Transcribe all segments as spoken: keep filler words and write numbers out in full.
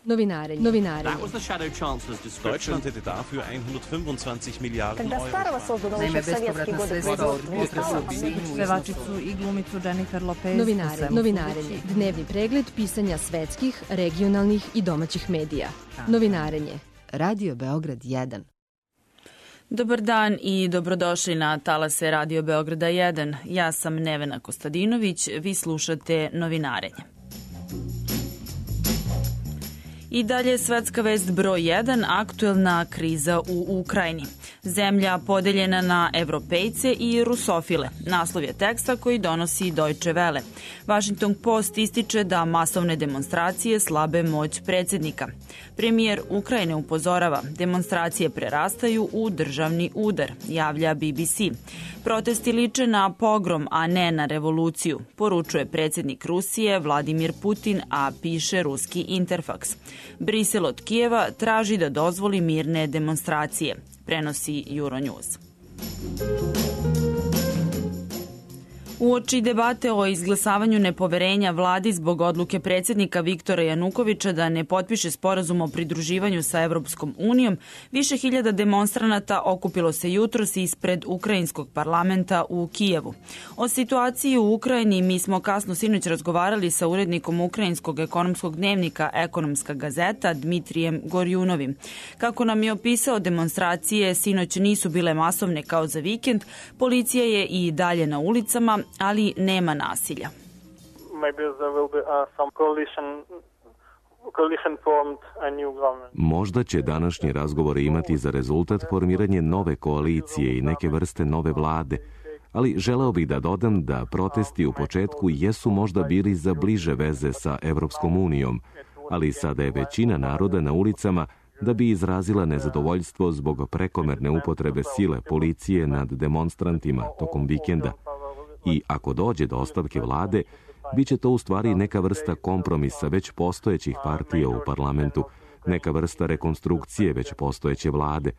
Novinarenje. Novinarenje. Deutschland hätte dafür hundertfünfundzwanzig Milliarden Euro. Naime, bespovratna sredstva od pevačicu i glumicu Jennifer Lopez. Novinarenje. Novinarenje. Dnevni pregled pisanja svetskih, regionalnih i domaćih medija. Novinarenje. Radio Beograd jedan. Dobar dan i dobrodošli na talase Radio Beograda jedan. Ja sam Nevena Kostadinović, vi slušate Novinarenje. I dalje svetska vest broj jedan, aktuelna kriza u Ukrajini. Zemlja podeljena na evropejce i rusofile. Naslov je teksta koji donosi Deutsche Welle. Washington Post ističe da masovne demonstracije slabe moć predsjednika. Premijer Ukrajine upozorava, demonstracije prerastaju u državni udar, javlja B B C. Protesti liče na pogrom, a ne na revoluciju, poručuje predsjednik Rusije Vladimir Putin, a piše ruski Interfax. Brisel od Kijeva traži da dozvoli mirne demonstracije, prenosi Euronews. Uoči debate o izglasavanju nepoverenja vladi zbog odluke predsjednika Viktora Janukovića da ne potpiše sporazum o pridruživanju sa Evropskom unijom, više hiljada demonstranata okupilo se jutros ispred ukrajinskog parlamenta u Kijevu. O situaciji u Ukrajini mi smo kasno sinoć razgovarali sa urednikom ukrajinskog ekonomskog dnevnika Ekonomska gazeta Dmitrijem Gorjunovim. Kako nam je opisao, demonstracije sinoć nisu bile masovne kao za vikend, policija je i dalje na ulicama, ali nema nasilja. Možda će današnji razgovori imati za rezultat formiranje nove koalicije i neke vrste nove vlade, ali želeo bih da dodam da protesti u početku jesu možda bili za bliže veze sa Evropskom unijom, ali sada je većina naroda na ulicama da bi izrazila nezadovoljstvo zbog prekomerne upotrebe sile policije nad demonstrantima tokom vikenda. I ako dođe do ostavke vlade, bit će to u stvari neka vrsta kompromisa već postojećih partija u parlamentu, neka vrsta rekonstrukcije već postojeće vlade.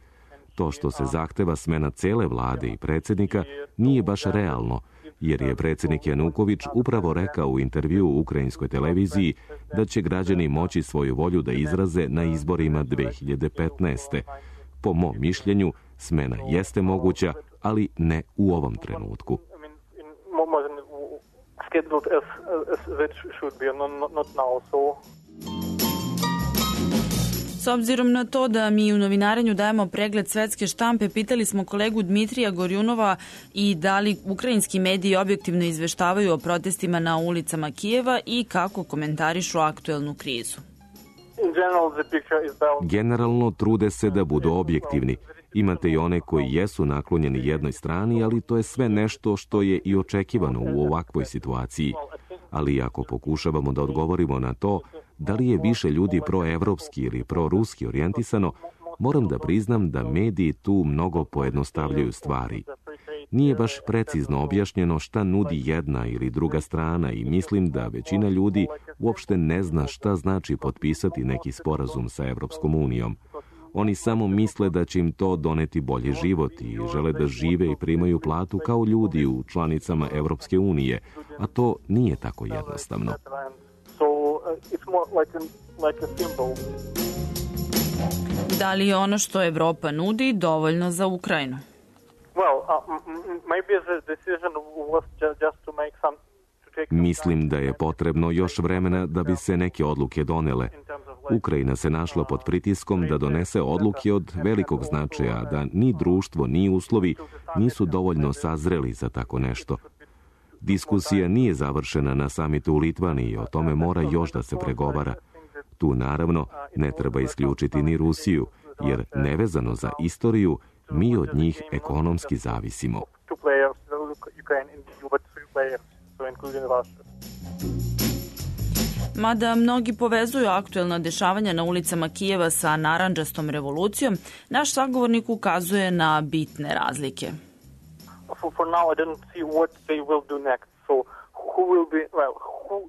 To što se zahteva smena cele vlade i predsjednika nije baš realno, jer je predsjednik Januković upravo rekao u intervjuu u ukrajinskoj televiziji da će građani moći svoju volju da izraze na izborima dve hiljade petnaeste. Po mom mišljenju, smena jeste moguća, ali ne u ovom trenutku. S obzirom na to da mi u novinarenju dajemo pregled svetske štampe, pitali smo kolegu Dmitrija Gorjunova i da li ukrajinski mediji objektivno izveštavaju o protestima na ulicama Kijeva i kako komentarišu aktuelnu krizu. Generalno trude se da budu objektivni. Imate i one koji jesu naklonjeni jednoj strani, ali to je sve nešto što je i očekivano u ovakvoj situaciji. Ali ako pokušavamo da odgovorimo na to da li je više ljudi proevropski ili proruski orijentisano, moram da priznam da mediji tu mnogo pojednostavljaju stvari. Nije baš precizno objašnjeno šta nudi jedna ili druga strana i mislim da većina ljudi uopšte ne zna šta znači potpisati neki sporazum sa Evropskom unijom. Oni samo misle da će im to doneti bolji život i žele da žive i primaju platu kao ljudi u članicama Evropske unije, a to nije tako jednostavno. Da li je ono što Evropa nudi dovoljno za Ukrajinu? Mislim da je potrebno još vremena da bi se neke odluke donele. Ukrajina se našla pod pritiskom da donese odluke od velikog značaja, da ni društvo, ni uslovi nisu dovoljno sazreli za tako nešto. Diskusija nije završena na samitu u Litvaniji, o tome mora još da se pregovara. Tu naravno ne treba isključiti ni Rusiju, jer nevezano za istoriju, mi od njih ekonomski zavisimo. Mada mnogi povezuju aktuelna dešavanja na ulicama Kijeva sa narandžastom revolucijom, naš sagovornik ukazuje na bitne razlike.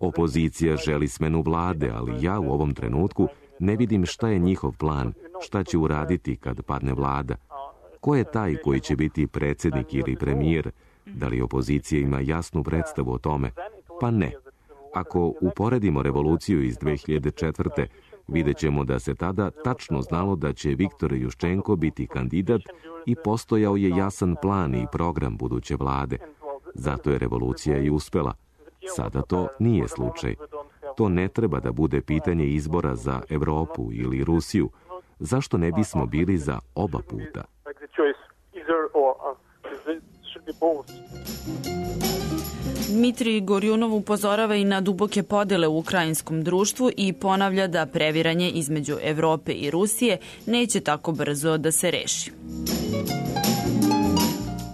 Opozicija želi smenu vlade, ali ja u ovom trenutku ne vidim šta je njihov plan, šta će uraditi kad padne vlada. Ko je taj koji će biti predsjednik ili premijer? Da li opozicija ima jasnu predstavu o tome? Pa ne. Ako uporedimo revoluciju iz dve hiljade četvrte, Vidjet ćemo da se tada tačno znalo da će Viktor Juščenko biti kandidat i postojao je jasan plan i program buduće vlade. Zato je revolucija i uspela. Sada to nije slučaj. To ne treba da bude pitanje izbora za Evropu ili Rusiju. Zašto ne bismo bili za oba puta? Dmitrij Gorjunov upozorava i na duboke podele u ukrajinskom društvu i ponavlja da previranje između Evrope i Rusije neće tako brzo da se reši.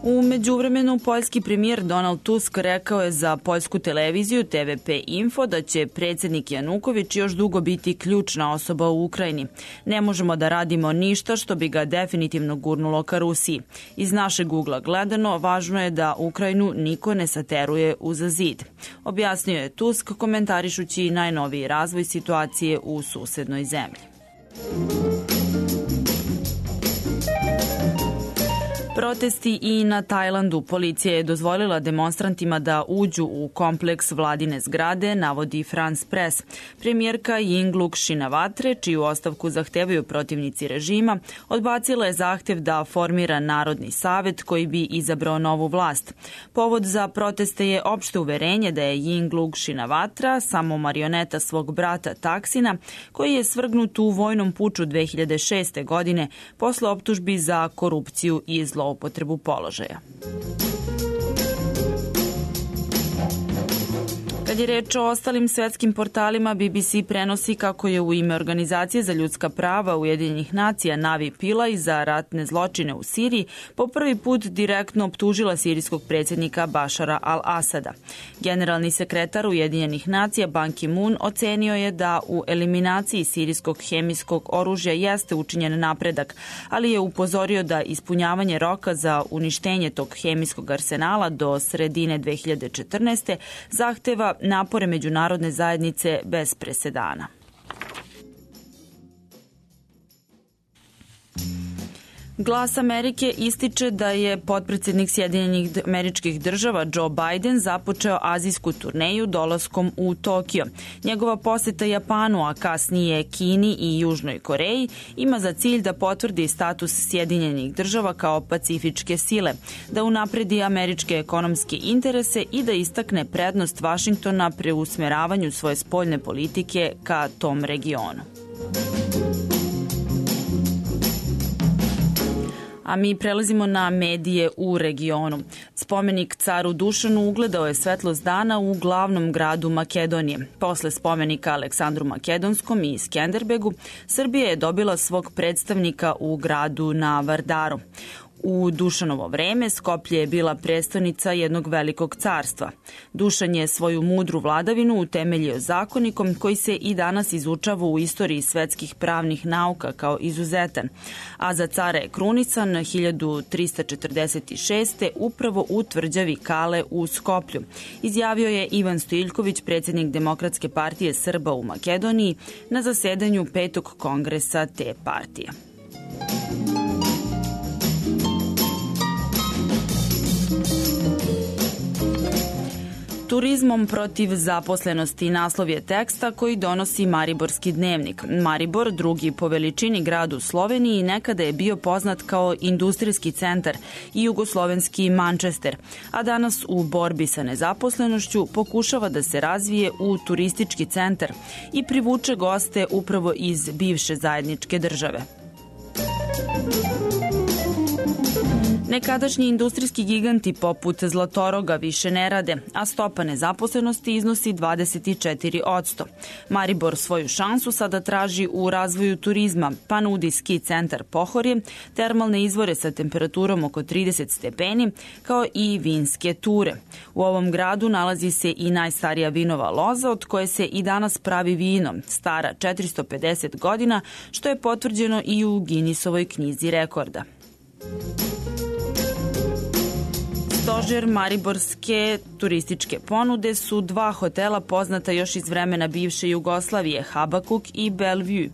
U međuvremenu, poljski premijer Donald Tusk rekao je za poljsku televiziju T V P Info da će predsjednik Januković još dugo biti ključna osoba u Ukrajini. Ne možemo da radimo ništa što bi ga definitivno gurnulo ka Rusiji. Iz našeg ugla gledano, važno je da Ukrajinu niko ne sateruje uza zid. Objasnio je Tusk komentarišući najnoviji razvoj situacije u susednoj zemlji. Protesti i na Tajlandu. Policija je dozvolila demonstrantima da uđu u kompleks vladine zgrade, navodi France Press. Premijerka Yingluck Shinawatra, čiju ostavku zahtevaju protivnici režima, odbacila je zahtev da formira Narodni savet koji bi izabrao novu vlast. Povod za proteste je opšte uverenje da je Yingluck Shinawatra samo marioneta svog brata Taksina, koji je svrgnut u vojnom puču dve hiljade šeste. godine posle optužbi za korupciju i zlo upotrebu položaja. Kad je reč o ostalim svetskim portalima, B B C prenosi kako je u ime Organizacije za ljudska prava Ujedinjenih nacija Navi Pillay za ratne zločine u Siriji po prvi put direktno optužila sirijskog predsjednika Bašara al-Asada. Generalni sekretar Ujedinjenih nacija Ban Ki-moon ocenio je da u eliminaciji sirijskog hemijskog oružja jeste učinjen napredak, ali je upozorio da ispunjavanje roka za uništenje tog hemijskog arsenala do sredine dve hiljade četrnaeste. zahteva napore međunarodne zajednice bez presedana. Glas Amerike ističe da je potpredsjednik Sjedinjenih Američkih Država Joe Biden započeo azijsku turneju dolaskom u Tokio. Njegova poseta Japanu, a kasnije Kini i Južnoj Koreji, ima za cilj da potvrdi status Sjedinjenih Država kao pacifičke sile, da unapredi američke ekonomske interese i da istakne prednost Vašingtona pri usmeravanju svoje spoljne politike ka tom regionu. A mi prelazimo na medije u regionu. Spomenik caru Dušanu ugledao je svetlost dana u glavnom gradu Makedonije. Posle spomenika Aleksandru Makedonskom i Skenderbegu, Srbija je dobila svog predstavnika u gradu na Vardaru. U Dušanovo vreme Skoplje je bila prestonica jednog velikog carstva. Dušan je svoju mudru vladavinu utemeljio zakonikom koji se i danas izučava u istoriji svetskih pravnih nauka kao izuzetan, a za cara je krunisan hiljadu trista četrdeset šeste. upravo u tvrđavi Kale u Skoplju. Izjavio je Ivan Stojiljković, predsjednik Demokratske partije Srba u Makedoniji, na zasedanju petog kongresa te partije. Turizmom protiv zaposlenosti naslov je teksta koji donosi Mariborski dnevnik. Maribor, drugi po veličini grad u Sloveniji, nekada je bio poznat kao industrijski centar i jugoslovenski Manchester, a danas u borbi sa nezaposlenošću pokušava da se razvije u turistički centar i privuče goste upravo iz bivše zajedničke države. Nekadašnji industrijski giganti poput Zlatoroga više ne rade, a stopa nezaposlenosti iznosi dvadeset četiri posto. Maribor svoju šansu sada traži u razvoju turizma, pa nudi ski centar Pohorje, termalne izvore sa temperaturom oko trideset stepeni, kao i vinske ture. U ovom gradu nalazi se i najstarija vinova loza od koje se i danas pravi vino, stara četiristo pedeset godina, što je potvrđeno i u Guinnessovoj knjizi rekorda. Stožer mariborske turističke ponude su dva hotela poznata još iz vremena bivše Jugoslavije, Habakuk i Bellevue.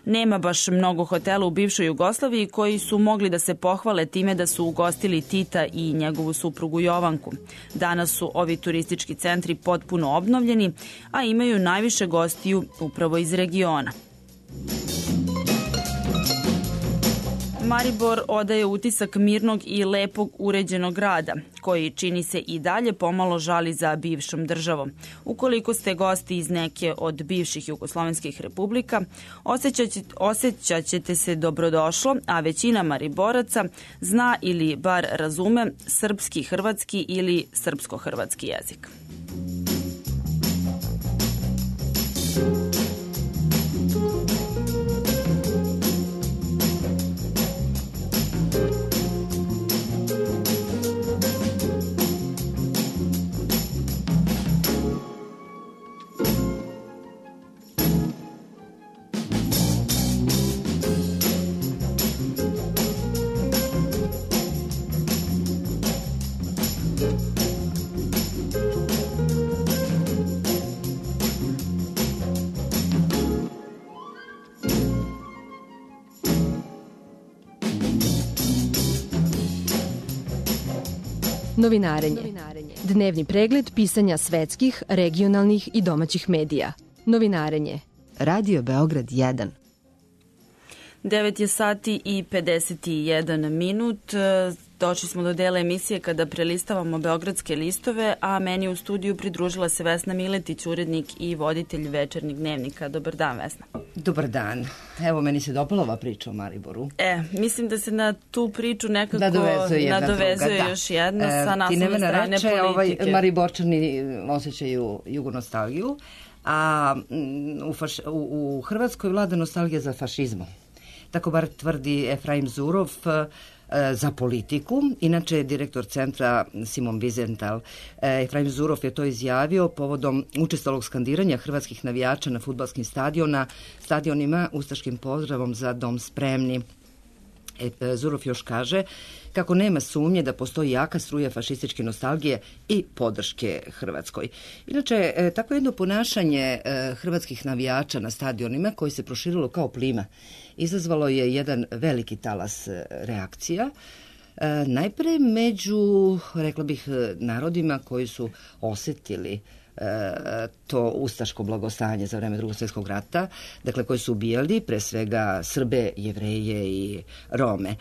Nema baš mnogo hotela u bivšoj Jugoslaviji koji su mogli da se pohvale time da su ugostili Tita i njegovu suprugu Jovanku. Danas su ovi turistički centri potpuno obnovljeni, a imaju najviše gostiju upravo iz regiona. Maribor odaje utisak mirnog i lepog uređenog grada, koji čini se i dalje pomalo žali za bivšom državom. Ukoliko ste gosti iz neke od bivših jugoslovenskih republika, osjećat ćete se dobrodošlo, a većina Mariboraca zna ili bar razume srpski, hrvatski ili srpsko-hrvatski jezik. Novinarenje. Dnevni pregled pisanja svetskih, regionalnih i domaćih medija. Novinarenje. Radio Beograd jedan. devet je sati i pedeset jedan minut. Došli smo do dela emisije kada prelistavamo beogradske listove, a meni u studiju pridružila se Vesna Miletić, urednik i voditelj Večernjeg dnevnika. Dobar dan, Vesna. Dobar dan. Evo, meni se dopala ova priča o Mariboru. E, mislim da se na tu priču nekako nadovezuje, nadovezuje druga, još jedna e, sa naslovne strane reče, politike. Ovaj, Mariborčani osjećaju jugonostalgiju, a u, faš, u, u Hrvatskoj vlada nostalgija za fašizmom. Tako bar tvrdi Efraim Zurov za politiku. Inače je direktor centra Simon Wiesenthal. Efraim Zurov je to izjavio povodom učestalog skandiranja hrvatskih navijača na fudbalskim stadiona, stadionima ustaškim pozdravom za dom spremni. Zurov još kaže kako nema sumnje da postoji jaka struja fašističke nostalgije i podrške Hrvatskoj. Inače, tako jedno ponašanje hrvatskih navijača na stadionima koji se proširilo kao plima izazvalo je jedan veliki talas reakcija. Najpre među, rekla bih, narodima koji su osetili to ustaško blagostanje za vreme Drugog svjetskog rata, dakle koji su ubijali pre svega Srbe, Jevreje i Rome.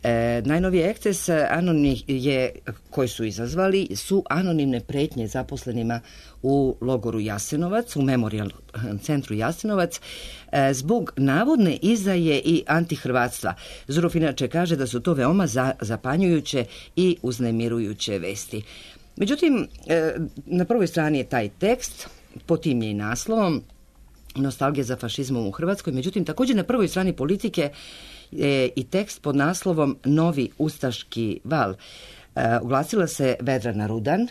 E, najnoviji eksces anonimnih je, koji su izazvali su anonimne pretnje zaposlenima u logoru Jasenovac, u Memorial centru Jasenovac, e, zbog navodne izdaje i antihrvatstva. Zurov inače kaže da su to veoma za, zapanjujuće i uznemirujuće vesti. Međutim, e, na prvoj strani je taj tekst, pod tim je i naslovom, nostalgija za fašizmom u Hrvatskoj. Međutim, također na prvoj strani Politike je i tekst pod naslovom Novi ustaški val. E, oglasila se Vedrana Rudan,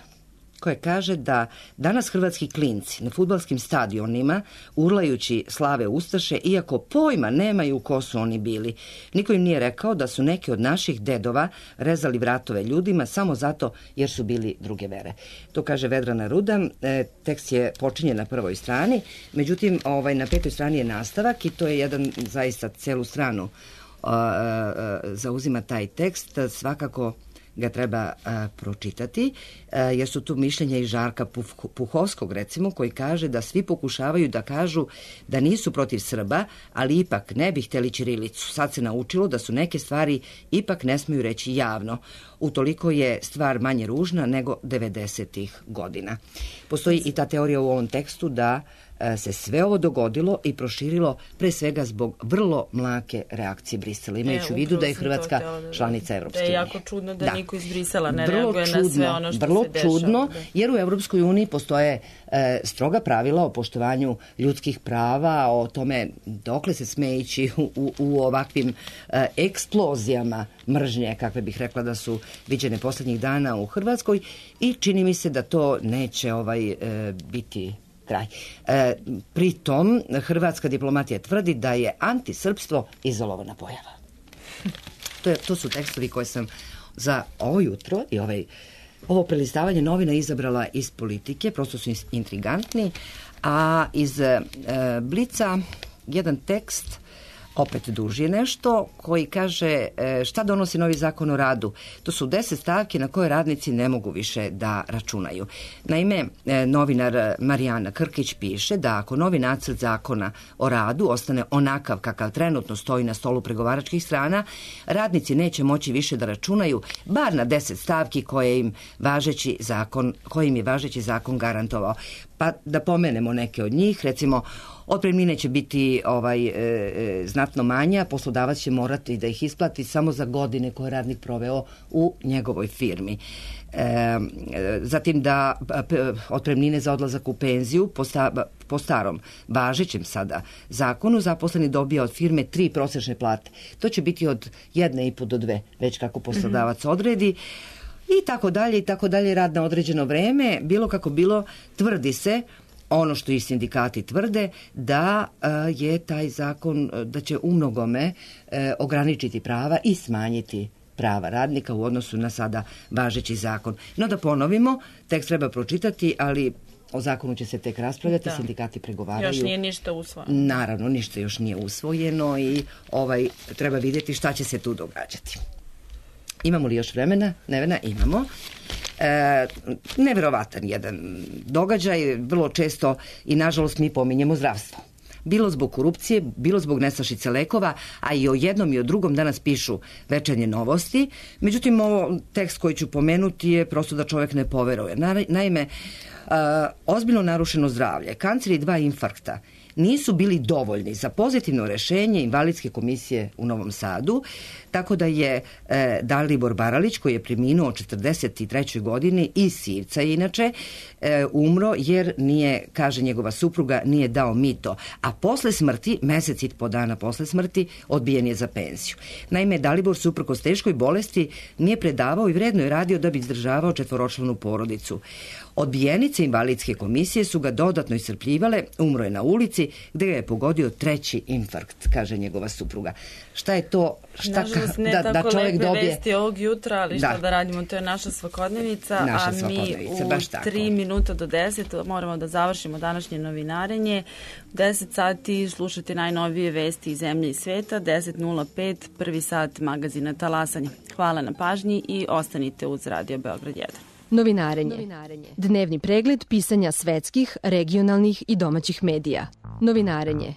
koja kaže da danas hrvatski klinci na fudbalskim stadionima urlajući slave ustaše, iako pojma nemaju ko su oni bili. Niko im nije rekao da su neki od naših dedova rezali vratove ljudima samo zato jer su bili druge vere. To kaže Vedrana Rudan. E, tekst je počinjen na prvoj strani, međutim ovaj, na petoj strani je nastavak i to je jedan zaista celu stranu uh, uh, zauzima taj tekst. Svakako ga treba a, pročitati, a, jer su tu mišljenja i Žarka Puh- Puhovskog, recimo, koji kaže da svi pokušavaju da kažu da nisu protiv Srba, ali ipak ne bi hteli ćirilicu. Sad se naučilo da su neke stvari ipak ne smiju reći javno. Utoliko je stvar manje ružna nego devedesetih godina. Postoji i ta teorija u ovom tekstu da se sve ovo dogodilo i proširilo pre svega zbog vrlo mlake reakcije Brisela, imajući u vidu da je Hrvatska da članica Evropske unije. Da je jako čudno da, da. niko iz Brisela ne vrlo reaguje čudno, na sve ono što vrlo se dešava. Čudno, jer u Evropskoj uniji postoje e, stroga pravila o poštovanju ljudskih prava, o tome dokle se sme ići u, u, u ovakvim e, eksplozijama mržnje, kakve bih rekla da su viđene posljednjih dana u Hrvatskoj, i čini mi se da to neće ovaj e, biti kraj. E, pritom, hrvatska diplomatija tvrdi da je antisrpstvo izolovana pojava. To, je, to su tekstovi koje sam za ovo jutro i ovaj, ovo prelistavanje novina izabrala iz Politike, prosto su intrigantni, a iz e, Blica jedan tekst opet duži je nešto, koji kaže šta donosi novi zakon o radu. To su deset stavki na koje radnici ne mogu više da računaju. Naime, novinar Marijana Krkić piše da ako novi nacrt zakona o radu ostane onakav kakav trenutno stoji na stolu pregovaračkih strana, radnici neće moći više da računaju bar na deset stavki koje im važeći zakon, kojim je važeći zakon garantovao. Pa da pomenemo neke od njih, recimo otpremnine će biti ovaj, e, e, znatno manja, poslodavac će morati da ih isplati samo za godine koje je radnik proveo u njegovoj firmi. E, zatim da p, otpremnine za odlazak u penziju po, sta, po starom važećem sada zakonu zaposleni dobija od firme tri prosečne plate. To će biti od jedne i po do dve, već kako poslodavac odredi. I tako dalje, i tako dalje, rad na određeno vreme, bilo kako bilo, tvrdi se, ono što i sindikati tvrde, da je taj zakon, da će u mnogome ograničiti prava i smanjiti prava radnika u odnosu na sada važeći zakon. No da ponovimo, tekst treba pročitati, ali o zakonu će se tek raspravljati, da. Sindikati pregovaraju. Još nije ništa usvojeno. Naravno, ništa još nije usvojeno i ovaj, treba vidjeti šta će se tu događati. Imamo li još vremena? Nevena, imamo. E, neverovatan jedan događaj, vrlo često i nažalost mi pominjemo zdravstvo. Bilo zbog korupcije, bilo zbog nestašice lekova, a i o jednom i o drugom danas pišu Večernje novosti. Međutim, ovo tekst koji ću pomenuti je prosto da čovjek ne poveruje. Naime, a, ozbiljno narušeno zdravlje, kancer i dva infarkta nisu bili dovoljni za pozitivno rešenje invalidske komisije u Novom Sadu, tako da je e, Dalibor Baralić, koji je preminuo u četrdeset trećoj godini iz Sivca inače, e, umro jer nije, kaže njegova supruga, nije dao mito, a posle smrti, mesec i po dana posle smrti, odbijen je za penziju. Naime, Dalibor, suprkos teškoj bolesti, nije predavao i vredno je radio da bi izdržavao četvoročlanu porodicu. Odbijenice invalidske komisije su ga dodatno iscrpljivale, umro je na ulici gde ga je pogodio treći infarkt, kaže njegova supruga. Šta je to? Šta Nažalost, ne da, tako da čovjek lepe dobije... vesti ovog jutra, ali šta da, da radimo, to je naša svakodnevica, naša a mi u tri minuta do deset moramo da završimo današnje novinarenje. U deset sati slušate najnovije vesti iz zemlje i sveta, deset nula pet, prvi sat magazina Talasanja. Hvala na pažnji i ostanite uz Radio Beograd jedan. Novinarenje. Dnevni pregled pisanja svetskih, regionalnih i domaćih medija. Novinarenje.